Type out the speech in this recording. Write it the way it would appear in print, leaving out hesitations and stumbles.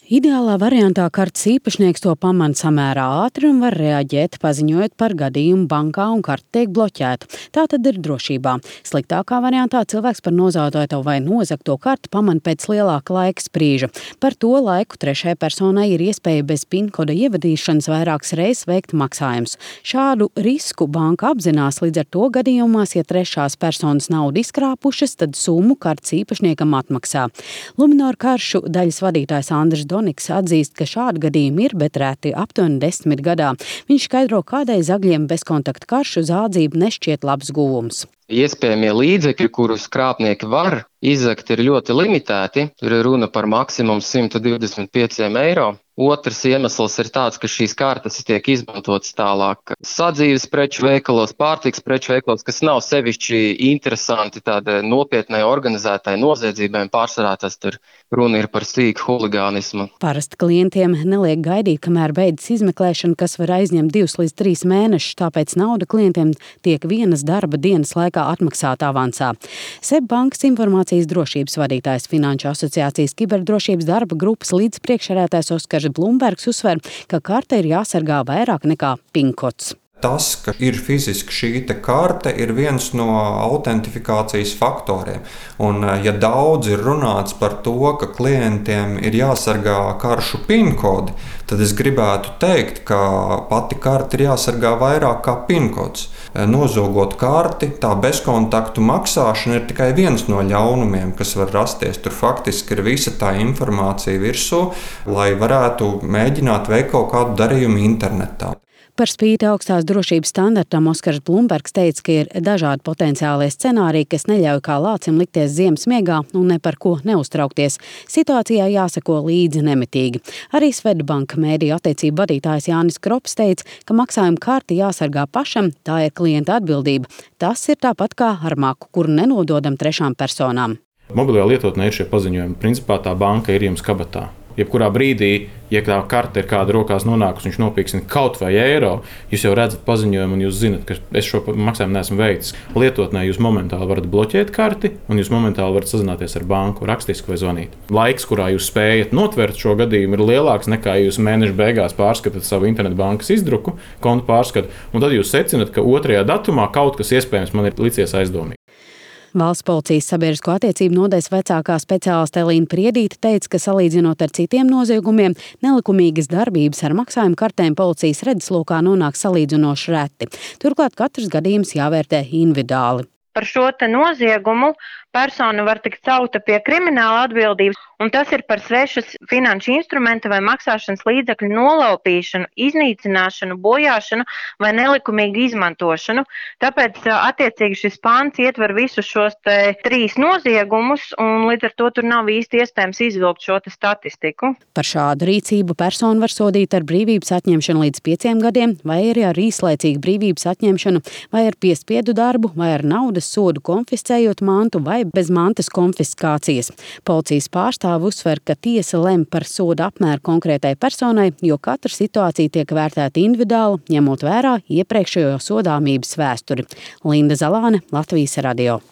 Ideālā variantā kartes īpašnieks to pamana samērā ātri un var reaģēt, paziņojot par gadījumu bankā un karte tiek bloķēta. Tā tad ir drošībā. Sliktākā variantā cilvēks par nozautoto vai nozagto karti pamana pēc lielāka laika sprīža. Par to laiku trešajai personai ir iespēja bez PIN-koda ievadīšanas vairākas reizes veikt maksājumus. Šādu risku banka apzinās, līdz ar to gadījumās, ja trešās personas naudu izkrāpušas, tad summu kartes īpašniekam atmaksā. Luminor karšu daļas vadītājs Andris Doniks atzīst, ka šādi gadījumi ir, bet reti aptuveni 10 gadā. Viņš skaidro, kādēļ zagļiem bezkontaktu karšu zādzība nešķiet labs guvums. Iespējamie līdzekļi, kurus krāpnieki var izzagt, ir ļoti limitēti. Tur ir runa par maksimumu 125 eiro. Otrs iemesls ir tāds, ka šīs kartes tiek izmantotas tālāk sadzīves preču veikalos, pārtiks preču veikalos, kas nav sevišķi interesanti tādai nopietnai organizētai noziedzībai. Pārsvarā tas tur runa ir par sīku huligānismu. Parasti klientiem neliek gaidīt, kamēr beidzas izmeklēšana, kas var aizņemt 2 līdz 3 mēnešus, tāpēc nauda klientiem tiek vienas darba dienas laikā atmaksāta avansā. SEB bankas informācijas drošības vadītājs Finanšu asociācijas kiberdrošības darba grupas līdzpriekšsēdētājs Oskars Blumbergs uzsver, ka karte ir jāsargā vairāk nekā PIN-kods. Tas, ka ir fiziski šī karte, ir viens no autentifikācijas faktoriem. Un, ja daudz ir runāts par to, ka klientiem ir jāsargā karšu PIN-kodi, tad es gribētu teikt, ka pati karte ir jāsargā vairāk kā PIN-kods. Nozogot karti, tā bezkontaktu maksāšana ir tikai viens no ļaunumiem, kas var rasties. Tur faktiski ir visa tā informācija virsū, lai varētu mēģināt veikt kaut kādu darījumu internetā. Par spīti augstās drošības standartam Oskars Blumbergs teica, ka ir dažādi potenciālie scenāriji, kas neļauj kā lācim likties ziemas miegā un ne par ko neuztraukties. Situācijā jāseko līdzi nemitīgi. Arī Swedbank mēdīju attiecību vadītājs Jānis Krops teica, ka maksājuma karti jāsargā pašam, tā ir klienta atbildība. Tas ir tāpat kā ar maku, kuru nenododam trešām personām. Mobilajā lietotnē ir šie paziņojumi. Principā tā banka ir jums kabatā. Jebkurā brīdī, ja tā karte ir kāda rokās nonākusi, viņš nopīksina kaut vai eiro, jūs jau redzat paziņojumu un jūs zinat, ka es šo maksājumu neesmu veicis. Lietotnē jūs momentāli varat bloķēt karti un jūs momentāli varat sazināties ar banku, rakstiski vai zvanīt. Laiks, kurā jūs spējat notvert šo gadījumu, ir lielāks nekā jūs mēneša beigās pārskatāt savu internetbankas izdruku, kontu pārskatu, un tad jūs secināt, ka 2. datumā kaut kas iespējams man ir licies aizdomīgi. Valsts policijas sabiedrisko attiecību nodaļas vecākā speciāliste Elīna Priedīte teica, ka salīdzinot ar citiem noziegumiem, nelikumīgas darbības ar maksājumu kartēm policijas redzeslokā nonāk salīdzinoši reti. Turklāt katrs gadījums jāvērtē individuāli. Par šo noziegumu persona var tikt celta pie krimināla atbildības, un tas ir par svešas finanšu instrumenta vai maksāšanas līdzekļu nolaupīšanu, iznīcināšanu, bojāšanu vai nelikumīgu izmantošanu. Tāpēc attiecīgi šis pants ietver visus šos 3 noziegumus, un līdz ar to tur nav īsti iespējams izvilkt šo statistiku. Par šādu rīcību personu var sodīt ar brīvības atņemšanu līdz 5 gadiem, vai arī ar īslaicīgu brīvības atņemšanu, vai ar piespiedu darbu, vai ar naudas sodu konfiscējot mantu vai bez mantas konfiskācijas. Policijas pārstāvi uzsver, ka tiesa lem par soda apmēru konkrētai personai, jo katra situācija tiek vērtēta individuāli, ņemot vērā iepriekšējo sodāmības vēsturi. Linda Zalāne, Latvijas radio.